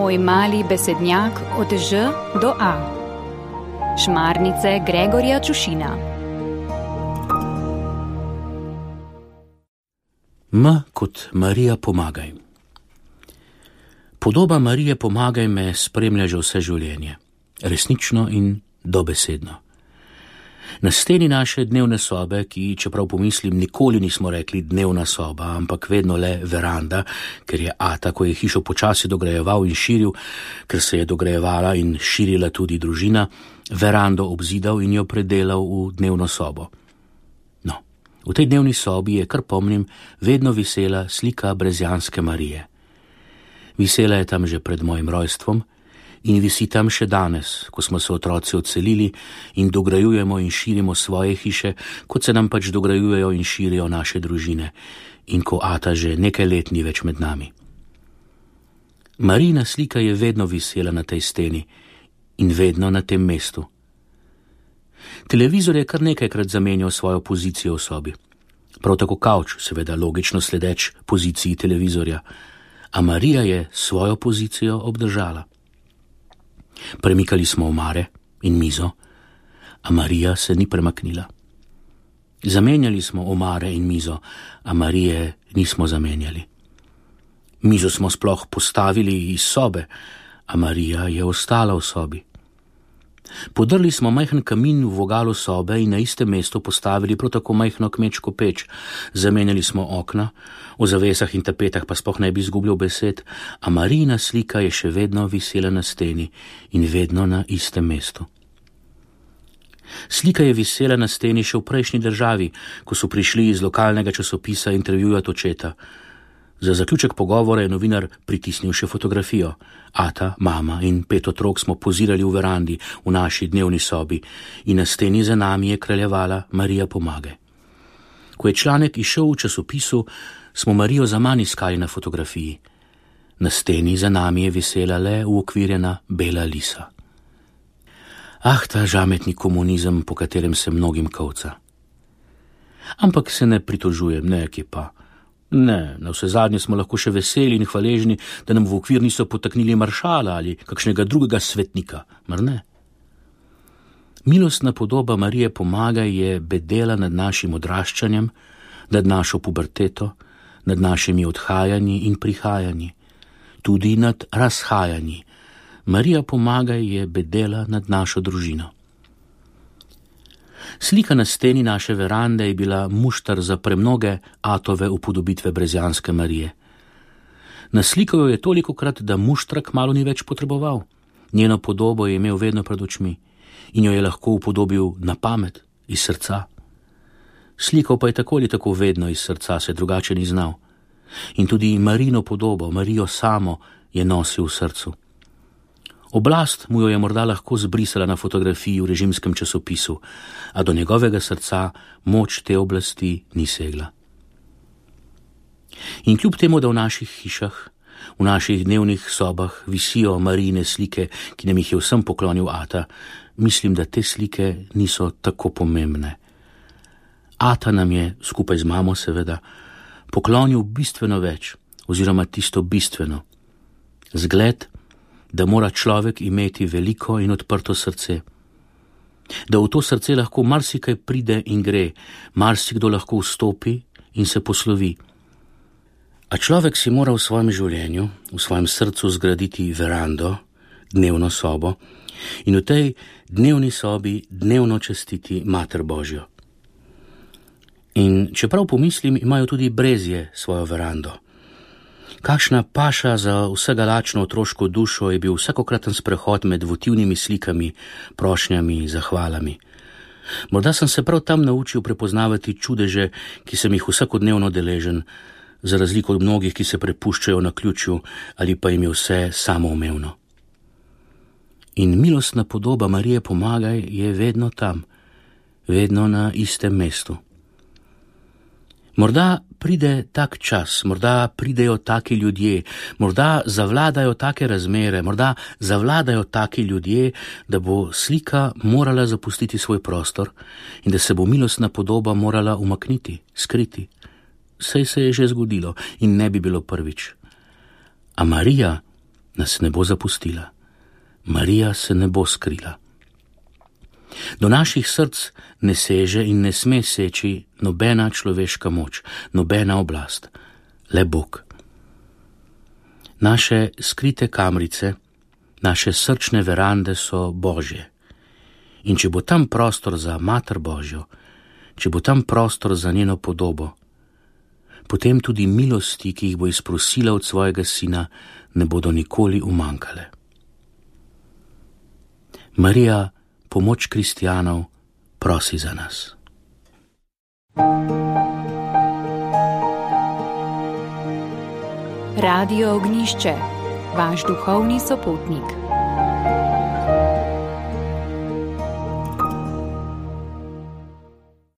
Tvoj mali besednjak od Ž do A. Šmarnice Gregorja Čušina. M kot Marija pomagaj. Podoba Marije pomagaj me spremlja že vse življenje, resnično in dobesedno. Na steni naše dnevne sobe, ki, čeprav pomislim, nikoli nismo rekli dnevna soba, ampak vedno le veranda, ker je ata, ko je hišo počasi dograjeval in širil, ker se je dograjevala in širila tudi družina, verando obzidal in jo predelal v dnevno sobo. No, v tej dnevni sobi je, kar pomnim, vedno visela slika brezjanske Marije. Visela je tam že pred mojim rojstvom in visi tam še danes, ko smo se otroci odselili in dograjujemo in širimo svoje hiše, kot se nam pač dograjujejo in širijo naše družine in ko ata že nekaj let ni več med nami. Marijina slika je vedno visela na tej steni in vedno na tem mestu. Televizor je kar nekajkrat zamenjal svojo pozicijo v sobi. Prav tako kavč, seveda logično sledeč poziciji televizorja, a Marija je svojo pozicijo obdržala. Premikali smo omare in mizo, a Marija se ni premaknila. Zamenjali smo omare in mizo, a Marije nismo zamenjali. Mizo smo sploh postavili iz sobe, a Marija je ostala v sobi. Podrli smo majhen kamin v vogalu sobe in na istem mestu postavili prav tako majhno kmečko peč. Zamenjali smo okna, o zavesah in tapetah pa sploh ne bi izgubljal besed, a Marijina slika je še vedno visela na steni in vedno na istem mestu. Slika je visela na steni še v prejšnji državi, ko so prišli iz lokalnega časopisa intervjujati očeta. Za zaključek pogovora je novinar pritisnil še fotografijo. Ata, mama in 5 otrok smo pozirali v verandi v naši dnevni sobi in na steni za nami je kraljevala Marija pomagaj. Ko je članek izšel v časopisu, smo Marijo zaman iskali na fotografiji. Na steni za nami je visela le uokvirjena bela lisa. Ah, ta žametni komunizem, po katerem se mnogim kolca. Ampak se ne pritožujem, ne, ki pa. Ne, na vse zadnje smo lahko še veseli in hvaležni, da nam v okvir niso potaknili maršala ali kakšnega drugega svetnika, mar ne? Milostna podoba Marije pomagaj je bedela nad našim odraščanjem, nad našo puberteto, nad našimi odhajanji in prihajanji, tudi nad razhajanji. Marija pomagaj je bedela nad našo družino. Slika na steni naše verande je bila muštar za premnoge atove upodobitve brezjanske Marije. Naslikal jo je tolikokrat, da muštrak malo ni več potreboval. Njeno podobo je imel vedno pred očmi in jo je lahko upodobil na pamet, iz srca. Slikal pa je tako ali tako vedno iz srca, se drugače ni znal. In tudi Marijino podobo, Marijo samo, je nosil v srcu. Oblast mu jo je morda lahko zbrisala na fotografiji v režimskem časopisu, a do njegovega srca moč te oblasti ni segla. In kljub temu, da v naših hišah, v naših dnevnih sobah visijo Marijine slike, ki nam jih je vsem poklonil ata, mislim, da te slike niso tako pomembne. Ata nam je, skupaj z mamo seveda, poklonil bistveno več, oziroma tisto bistveno. Zgled, da mora človek imeti veliko in odprto srce. Da v to srce lahko marsikaj pride in gre, marsikdo lahko vstopi in se poslovi. A človek si mora v svojem življenju, v svojem srcu zgraditi verando, dnevno sobo in v tej dnevni sobi dnevno častiti Mater Božjo. In čeprav pomislim, imajo tudi brezje svojo verando. Kakšna paša za vsega lačno otroško dušo je bil vsakokraten sprehod med votivnimi slikami, prošnjami, zahvalami. Morda sem se prav tam naučil prepoznavati čudeže, ki sem jih vsakodnevno deležen, za razliko od mnogih, ki se prepuščajo na ključju ali pa jim je vse samoumevno. In milostna podoba Marije pomagaj je vedno tam, vedno na istem mestu. Morda pride tak čas, morda pridejo taki ljudje, morda zavladajo take razmere, morda zavladajo taki ljudje, da bo slika morala zapustiti svoj prostor in da se bo milostna podoba morala umakniti, skriti. Saj se je že zgodilo in ne bi bilo prvič. A Marija nas ne bo zapustila. Marija se ne bo skrila. Do naših src ne seže in ne sme seči nobena človeška moč, nobena oblast, le Bog. Naše skrite kamrice, naše srčne verande so Božje. In če bo tam prostor za Mater Božjo, če bo tam prostor za njeno podobo, potem tudi milosti, ki jih bo izprosila od svojega Sina, ne bodo nikoli umanjkale. Marija, pomoč kristjanov, prosi za nas. Radio Ognišče, vaš duhovni sopotnik.